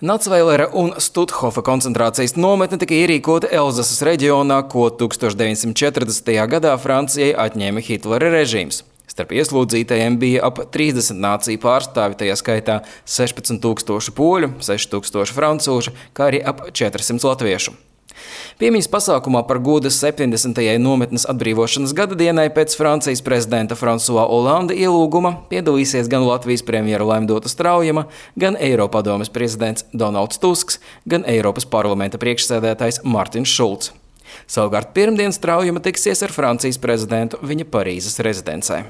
Nacvailera un Stuthofa koncentrācijas nometne tika ierīkota Elzasas reģionā, ko 1940. gadā Francijai atņēma Hitlera režīms. Starp ieslodzītajiem bija ap 30 nāciju pārstāvi, tajā skaitā 16,000 poļu, 6,000 francūžu, kā arī ap 400 latviešu. Piemiņas pasākumā par godu 70. nometnes atbrīvošanas gada dienai pēc Francijas prezidenta François Hollande ielūguma piedalīsies gan Latvijas premjera Laimdota Straujama, gan Eiropadomes prezidents Donalds Tusks, gan Eiropas parlamenta priekšsēdētājs Martins Šulcs. Savukārt pirmdien Straujama tiksies ar Francijas prezidentu viņa Parīzes rezidencē.